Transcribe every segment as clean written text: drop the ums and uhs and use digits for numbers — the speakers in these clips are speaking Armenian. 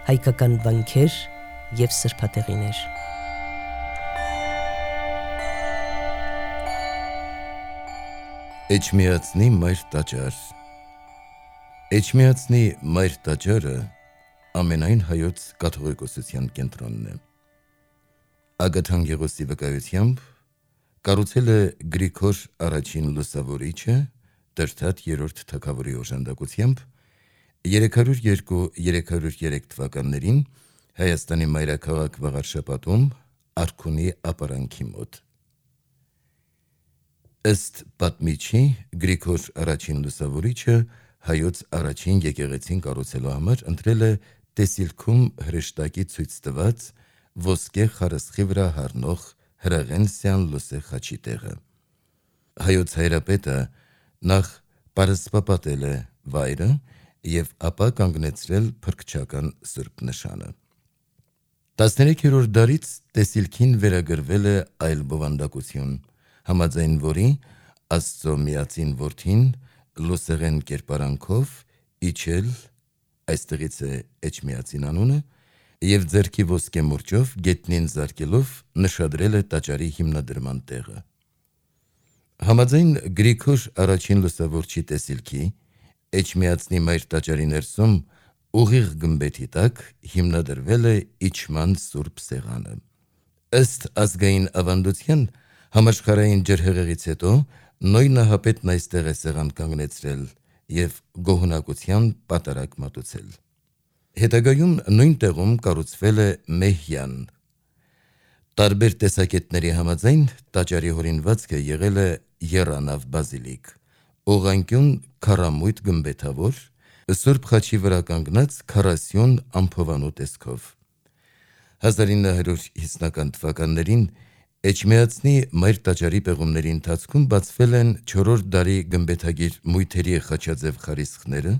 հայկական վանքեր և սրբատեղիներ։ Էջմիածնի մայր տաճար։ Էջմիածնի մայր տաճարը ամենայն հայոց կաթողիկոսության կենտրոնն է։ Ագաթան Գեղոսի վկայությամբ կառուցել է Գրիգոր առաջին լուսավորիչը Տրդատ երրորդ թագավորի օժանդակությամբ 302-303 թվականներին Հայաստանի մայրաքաղաք Վաղարշապատում Արքունի ապարանքի մոտ։ Ըստ պատմիչի, Գրիգոր առաջին լուսավորիչը հայոց առաջին եկեղեցին կառուցելու համար ընտրել է տեսիլքում հրեշտակի ցույց տված ոսկե խարսխի վրա հառնող հրաղենսյան լուսե խաչի տեղը։ Հայոց հայրապետը նախ պարսպապատել է վայրը և ապա կանգնեցրել փրկչական սուրբ նշանը։ 13-րդ դարից տեսիլքին վերագրվել է այլ բովանդակություն, համաձայն որի Աստծո միածին որդին լուսեղեն կերպարանքով իջել, այստեղից է Էջմիածին անունը, և ձեռքի ոսկե մուրճով գետնին զարկելով նշադրել է տաճարի հիմնադրման տեղը։ Համաձայն Գրիգոր առաջին լուսավորչի տեսիլքի, Էջմիածնի մայր տաճարի ներսում ուղիղ գմբեթի տակ հիմնադրվել է իջման սուրբ սեղանը։ Ըստ ազգային ավանդության, համաշխարհային ջրհեղեղից հետո Նոյնահապետն այստեղ է սեղան կանգնեցրել և գոհունակության պատարագ մատուցել։ Հետագայում նույն տեղում կառուցվել է մեհյան։ Տարբեր տեսակետների համաձայն տաճարի հորինվածքը եղել է եռանավ բազիլիկ, ուղղանկյուն քառամույթ գմբեթավոր, Սուրբ խաչի վրա կանգնած 40 ամփովանու տեսքով։ 1950-ական թվականներին Էջմիածնի մայր տաճարի պեղումների ընթացքում բացվել են 4-րդ դարի գմբեթագիր մույթերի խաչաձև խարիսխները,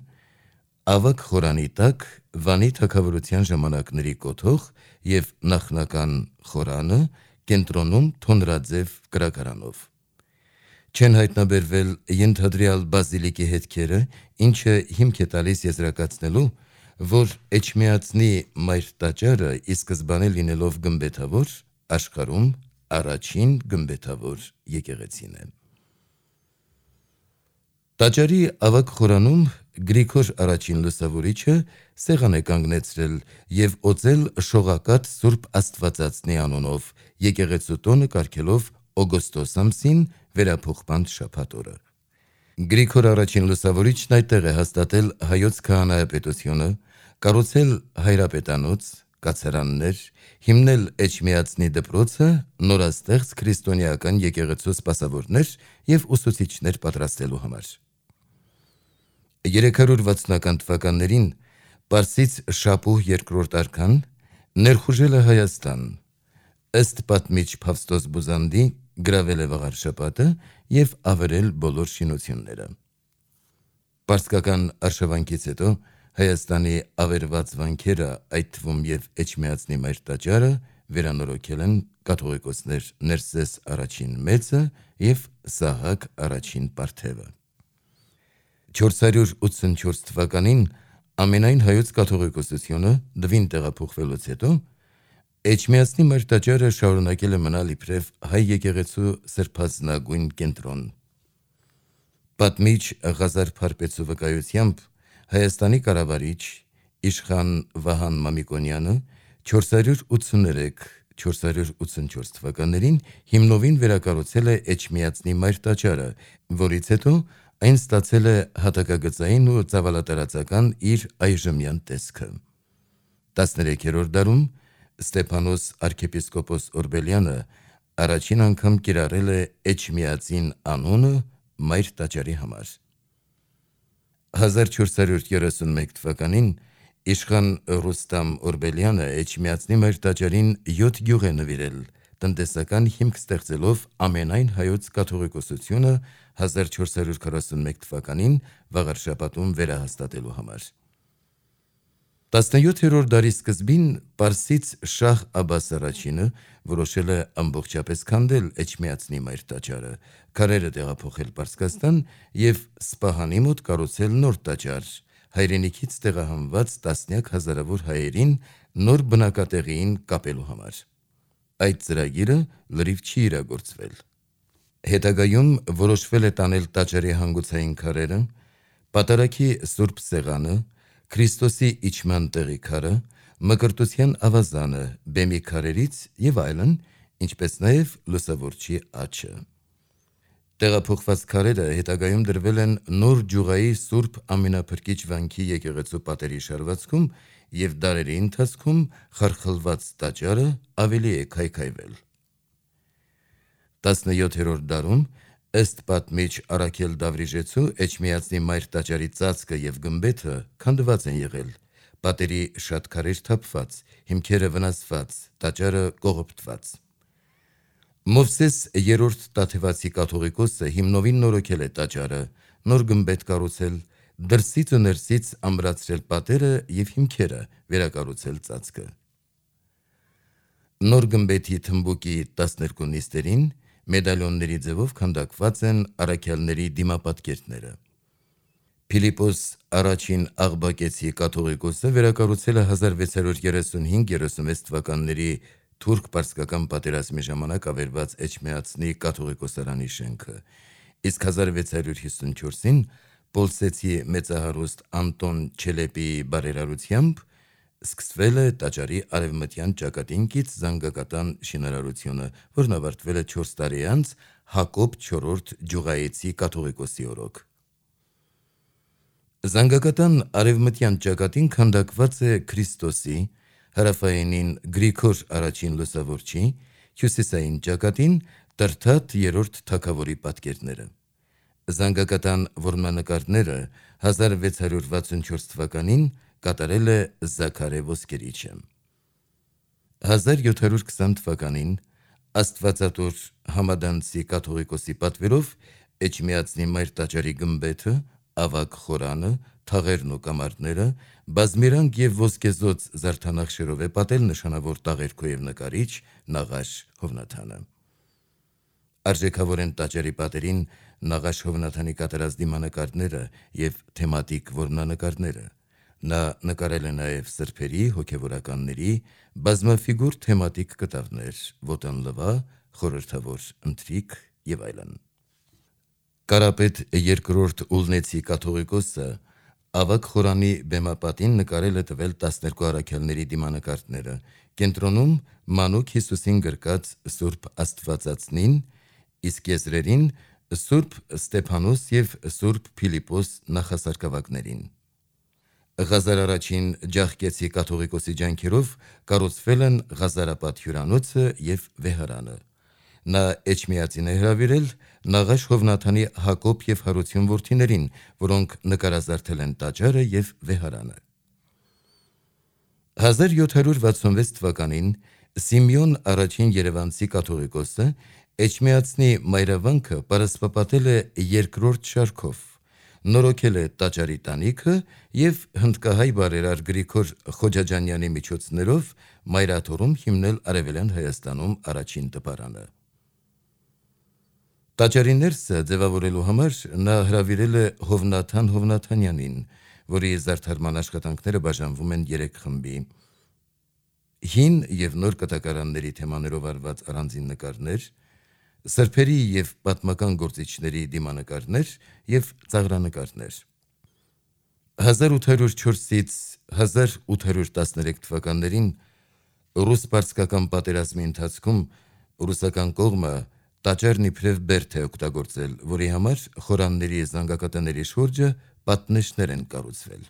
ավագ խորանի տակ Վանի թագավորության ժամանակների կոթող և նախնական խորանը կենտրոնում թոնրաձև կրակարանով։ Չեն հայտնաբերվել ենթադրյալ բազիլիկի հետքերը, ինչը հիմք է տալիս եզրակացնելու, որ Էջմիածնի մայր տաճարը ի սկզբանե լինելով գմբեթավոր, աշխարհում առաջին գմբեթավոր եկեղեցին է։ Տաճարի ավագ խորանում Գրիգոր առաջին լուսավորիչը սեղան է կանգնեցրել և օծել շողակաթ Սուրբ Աստվածածնի անունով, եկեղեցու տոնը կարգելով օգոստոս ամսին վերափոխման շաբաթ օրը։ Գրիգոր առաջին լուսավորիչն այդտեղ է հաստատել հայոց քահանայապետությունը, կառուցել հայրապետանոց, կացարաններ, հիմնել Էջմիածնի դպրոցը, նորաստեղծ քրիստոնեական եկեղեցու սպասավորներ և ուսուցիչներ պատրաստելու համար։ 360-ական թվականներին Պարսից Շապուհ II արքան ներխուժել է Հայաստան, ըստ պատմիչ Փավստոս Բուզանդի գրավել է Վաղարշապատը և ավերել բոլոր շինությունները։ Պարսկական արշավանքից հետո Հայաստանի ավերված վանքերը, այդ թվում և Էջմիածնի մայր տաճարը, վերանորոգել են կաթողիկոսներ Ներսես առաջին մեծը և Սահակ առաջին Պարթևը։ 484 թվականին ամենայն հայոց կաթողիկոսությունը Դվին տեղափոխվելուց հետո Էջմիածնի մայր տաճարը շարունակել է մնալ իբրև հայ եկեղեցու սրբազնագույն կենտրոն։ Պատմիչ Ղազար Փարպեցու վկայությամբ Հայաստանի կառավարիչ իշխան Վահան Մամիկոնյանը 483-484 թվականներին հիմնովին վերակառուցել է Էջմիածնի մայր տաճարը, որից հետո այն ստացել է հատակագծային ու ծավալատարածական իր այժմյան տեսքը։ 13-րդ դարում Ստեփանոս arczepiskopos Օրբելյանը առաջին անգամ կիրառել է Էջմիածին անունը մայր տաճարի համար։ 1431 թվականին իշխան Ռուստամ Օրբելյանը Էջմիածնի մայր տաճարին 7 գյուղ է նվիրել, տնտեսական հիմք ստեղծելով ամենայն հայոց կաթողիկոսությունը 1441 թվականին Վաղարշապատում վերահաստատելու համար։ 17-րդ դարի սկզբին Պարսից Շահ Աբբաս առաջինը որոշել է ամբողջապես քանդել Էջմիածնի մայր տաճարը, քարերը տեղափոխել Պարսկաստան և Սպահանի մոտ կառուցել նոր տաճար, հայրենիքից տեղահանված տասնյակ հազարավոր հայերին նոր բնակատեղիին կապելու համար։ Այդ ծրագիրը լրիվ չի իրագործվել։ Հետագայում որոշվել է տանել տաճարի հանգուցային քարերը, պատարագի Սուրբ Սեղանը, Քրիստոսի իջման տեղի քարը, Մկրտության ավազանը բեմի քարերից եւ այլն, ինչպես նաեւ լուսավորչի աջը։ Տեղափոխված քարերը հետագայում դրվել են նոր Ջուղայի Սուրբ Ամենափրկիչ Վանքի եկեղեցու պատերի շարվածքում եւ դարերի ընթացքում խարխլված տաճարը ավելի է քայքայվել։ 17-րդ դարում ըստ պատմիչ Առաքել Դավրիժեցու Էջմիածնի մայր տաճարի ծածկը եւ գմբեթը քանդված են եղել, պատերի շատ քարեր թափված, հիմքերը վնասված, տաճարը կողոպտված։ Մովսես երրորդ Տաթևացի կաթողիկոսը հիմնովին նորոգել է տաճարը, նոր գմբեթ կառուցել, դրսից ու ներսից ամրացրել պատերը եւ հիմքերը, վերակառուցել ծածկը։ Նոր գմբեթի թմբուկի 12 նիստերին մեդալյոնների ձևով քանդակված են առաքյալների դիմապատկերները։ Փիլիպոս առաջին Աղբակեցի կաթողիկոսը վերակառուցել է 1635-36 թվականների թուրք-պարսկական պատերազմի ժամանակ ավերված Էջմիածնի կաթողիկոսարանի շենքը, իսկ 1654-ին Պոլսեցի մեծահարուստ Անտոն Չելեպիի բարերարությամբ սկսվել է տաճարի արևմտյան ճակատին կից զանգակատան շինարարությունը, որն ավարտվել է 4 տարի անց Հակոբ IV Ջուղայեցի կաթողիկոսի օրոք։ Զանգակատան արևմտյան ճակատին քանդակված է Քրիստոսի, հարավայինին Գրիգոր առաջին լուսավորչի, հյուսիսային ճակատին Տրթատ III թագավորի պատկերները։ Զանգակատան որմնանկարները 1664 թվականին կատարել է Զաքարե Ոսկերիչը։ 1720 թվականին Աստվածատոր Համադանցի կաթողիկոսի պատվերով Էջմիածնի մայր տաճարի գմբեթը, ավագ խորանը, թաղերն ու կամարները բազմիրանք եւ ոսկեզոծ զարդանախշերով է պատել նշանավոր տաղերքո եւ նկարիչ Նաղաշ Հովնաթանը։ Արժեքավոր են տաճարի պատերին Նաղաշ Հովնաթանի կատարած դիմանկարները եւ թեմատիկ որմնանկարները։ Նա նկարել է նաեւ սրբերի, հոգեվորականների, բազմաֆիգուր թեմատիկ կտավներ, ոտանլվա, խորհրդավոր ընթրիք եւ այլն։ Կարապետ II Ուլնեցի կաթողիկոսը ավագ խորանի բեմապատին նկարել է տվել 12 առաքյալների դիմանկարները, կենտրոնում մանուկ Հիսուսին գրկած Սուրբ Աստվածածնին, իսկ եզրերին Սուրբ Ստեփանոս եւ Սուրբ Փիլիպոս նախասարկավակներին։ Ղազար առաջին Ջախկեցի կաթողիկոսի ջանքերով կառուցվել են Ղազարապատ հյուրանոցը եւ վեհարանը։ Նա Էջմիածին է հրավիրել Նաղաշ Հովնաթանի Հակոբ եւ Հարություն որդիներին, որոնք նկարազարդել են տաճարը եւ վեհարանը։ 1766 թվականին Սիմեոն առաջին Երևանցի կաթողիկոսը Էջմիածնի մայրավանքը պարսպապատել է երկրորդ շարքով, նորոգել է տաճարի տանիքը եւ հնդկահայ բարերար Գրիգոր Խոջաջանյանի միջոցներով Մայրաթորում հիմնել Արևելյան Հայաստանում առաջին տպարանը։ Տաճարի ներսը ձևավորելու համար նա հրավիրել է Հովնաթան Հովնաթանյանին, որի զարդարման աշխատանքները բաժանվում են 3 խմբի։ Հին եւ նոր կտակարանների թեմաներով արված առանձին նկարներ, սրբերի եւ պատմական գործիչների դիմանկարներ եւ ծաղրանկարներ։ 1804-ից 1813 թվականներին ռուս-պարսկական պատերազմի ընթացքում ռուսական կողմը տաճարն իբրև բերդ է օգտագործել, որի համար խորանների զանգակատների շուրջը պատնեշներ են կառուցվել։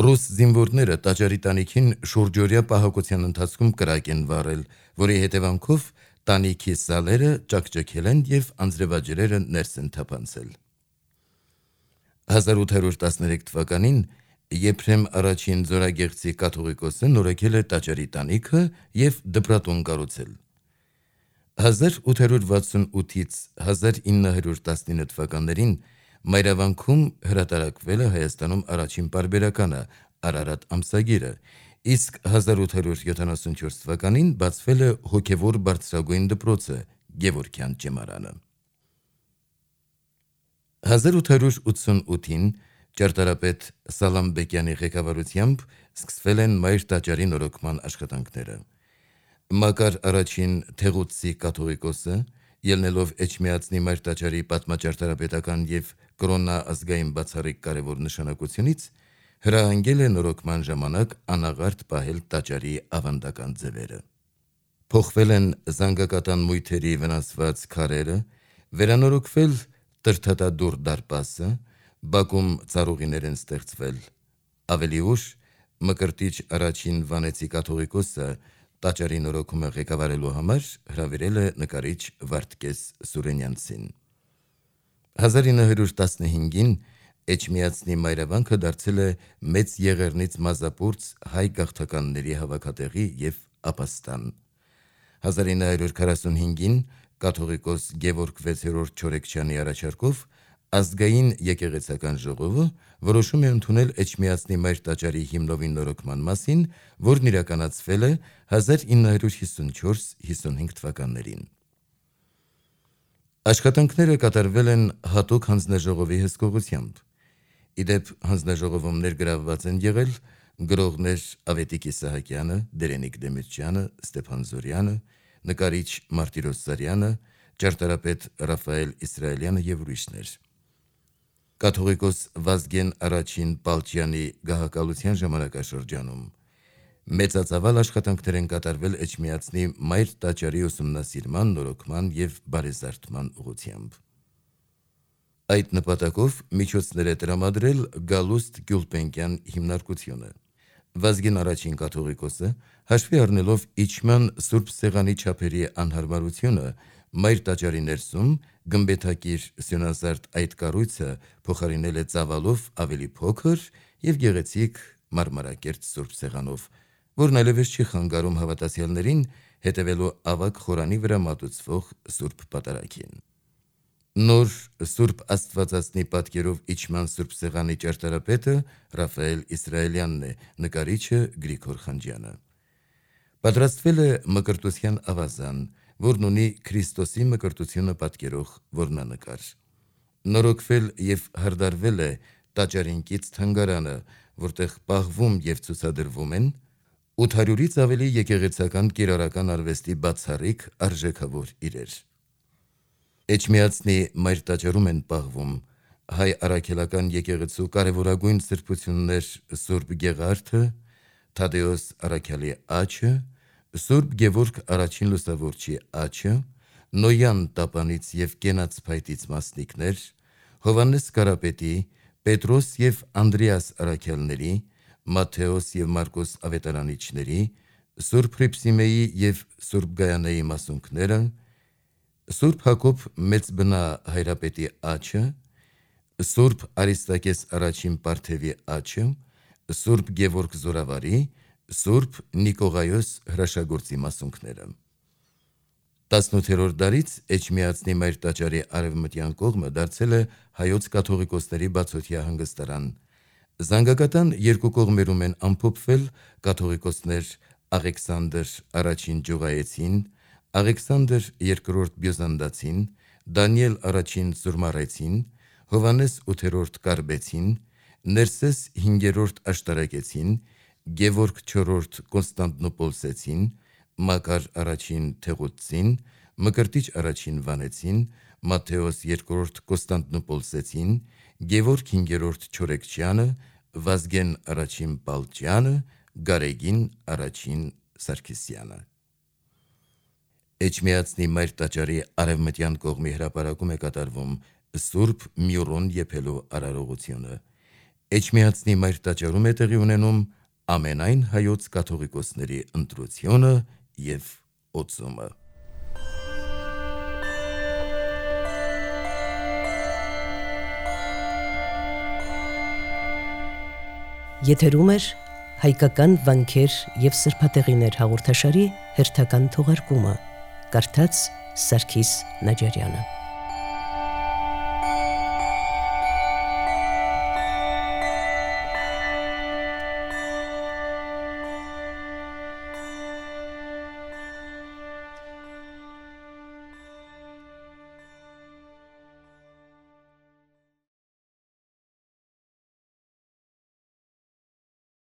Ռուս զինվորները տաճարի տանիքին շուրջօրյա պահակության ընթացքում կրակ են վառել, որի հետևանքով տանիքի սալերը ճաքճքել են եւ անձրևաջրերը ներս են թափանցել։ 1813 թվականին Եփրեմ առաջին Ձորագեղձի կաթողիկոսը նորոգել է տաճարի տանիքը եւ դպրատուն կառուցել։ 1868-ից 1919 թվականներին Մայրավանքում հրատարակվել է Հայաստանում առաջին պարբերականը Արարատ ամսագիրը, իսկ 1874 թվականին բացվել է հոգևոր բարձրագույն դպրոցը Գևորգյան ճեմարանը։ 1888-ին Ճարտարապետ Սալամբեկյանի ղեկավարությամբ սկսվել են Մայր տաճարի նորոգման աշխատանքները։ Մակար առաջին Թեղուտսի կաթողիկոսը, ելնելով Էջմիածնի Մայր տաճարի պատմաճարտարապետական եւ կրոնա ազգային բացառիկ կարևոր նշանակությունից, հրահանգել է նորոգման ժամանակ անաղարտ պահել տաճարի ավանդական ձևերը։ Փոխվել են զանգակատան մույթերի վնասված քարերը, վերանորոգվել տրթատադուռ դարպասը, բակում ծառուղիներ են ստեղծվել։ Ավելի ուշ Մկրտիչ առաջին Վանեցի կաթողիկոսը տաճարի նորոգումը ղեկավարելու համար հրավիրել է նկարիչ Վարդգես Սուրենյանցին։ 1915-ին Էջմիածնի մայրավանքը դարձել է Մեծ Եղեռնից Մազապուրց հայ գաղթականների հավաքատեղի եւ ապաստան։ 1945-ին կաթողիկոս Գևորգ 6-րդ Չորեքչյանի առաջարկով ազգային եկեղեցական ժողովը որոշում է ընդունել Էջմիածնի Մայր տաճարի հիմնովին նորոգման մասին, որն իրականացվել է 1954-55 թվականներին։ Աշխատանքները կատարվել են հատուկ հանձնաժողովի հսկողությամբ։ Իդեպ հանձնաժողովում ներգրավված են եղել գրողներ Ավետիք Իսահակյանը, Դերենիկ Դեմիրճյանը, Ստեփան Զորյանը, նկարիչ Մարտիրոս Սարյանը, ճարտարապետ Ռաֆայել Իսրայելյանը եւ ուրիշներ։ Կաթողիկոս Վազգեն առաջին Պալչյանի գահակալության ժամանակաշրջանում մեծածավալ աշխատանքներ են կատարվել Էջմիածնի Մայր տաճարի ուսումնասիրման, նորոգման եւ բարեզարդման ուղղությամբ։ Այդ նպատակով միջոցներ է տրամադրել Գալուստ Գյուլպենկյան հիմնարկությունը։ Վազգեն առաջին կաթողիկոսը, հաշվի առնելով իջման Սուրբ Սեղանի չափերի անհարմարությունը, Մայր տաճարի ներսում գմբեթակիր սյունազարդ այդ կառույցը փոխարինել է ծավալով ավելի փոքր եւ գեղեցիկ մարմարակերտ Սուրբ Սեղանով, որն այլևս չի խանգարում հավատացյալներին հետևելու ավագ խորանի վրա մատուցվող Սուրբ Պատարագին։ Նոր Սուրբ Աստվածածնի պատկերով իջման Սուրբ Սեղանի ճարտարապետը Ռաֆայել Իսրայելյանն է, նկարիչը Գրիգոր Խանջյանը։ Պատրաստվել է մկրտության ավազան, որն ունի Քրիստոսի մկրտությունը պատկերող որմնանկար։ Նորոգվել եւ հարդարվել է տաճարին կից թանգարանը, որտեղ պահվում եւ ցուցադրվում են 800-ից ավելի եկեղեցական կիրառական արվեստի բացառիկ արժեքավոր իրեր։ Էջմիածնի Մայր տաճարում են պահվում հայ առաքելական եկեղեցու կարևորագույն սրբություններ Սուրբ Գեղարդը, Թադեոս առաքյալի աչը, Սուրբ Գևորգ առաջին լուսավորչի աչը, Նոյան տապանից եւ Կենաց փայտից մասնիկներ, Հովանես Կարապետի, Պետրոս եւ Անդրեաս առաքյալների, Մատթեոս եւ Մարկոս ավետարանիչների, Սուրբ Հրիփսիմեի եւ Սուրբ Գայանեի մասունքները, Սուրբ Հակոբ Մեծբնա հայրապետի աչը, Սուրբ Արիստակես առաջին Պարթևի աչը, Սուրբ Գևորգ Զորավարի, Սուրբ Նիկողայոս հրաշագործի մասունքները։ 18-րդ դարից Էջմիածնի Մայր տաճարի արևմտյան կողմը դարձել է հայոց կաթողիկոսների բացօթյա հանգստարան։ Զանգակատան երկու կողմերում են ամփոփվել կաթողիկոսներ Աղեքսանդր առաջին Ջուղայեցին, Աղեքսանդր երկրորդ Բյուզանդացին, Դանիել առաջին Զուրմարեցին, Հովանես 8-րդ Կարբեցին, Ներսես 5-րդ Աշտարակեցին, Գևորգ 4-րդ Կոնստանտնոպոլսեցին, Մակար առաջին Թեղուտսին, Մկրտիչ առաջին Վանեցին, Մատթեոս 2-րդ Կոնստանտնոպոլսեցին, Գևորգ 5-րդ Չորեքչյանը, Վազգեն առաջին Պալճյանը, Գարեգին առաջին Սարգսյանը։ Էջմիածնի Մայր տաճարի արևմտյան կողմի հրապարակում է կատարվում Սուրբ Մյուրոն եփելու արարողությունը։ Էջմիածնի Մայր տաճարում է տեղի ունենում ամենայն հայոց կաթողիկոսների ընտրությունը եւ օծումը։ Եթերում է հայկական վանքեր եւ սրբատեղիներ հաղորդաշարի հերթական թողարկումը։ Կարդաց Սարգիս Նաջարյանը։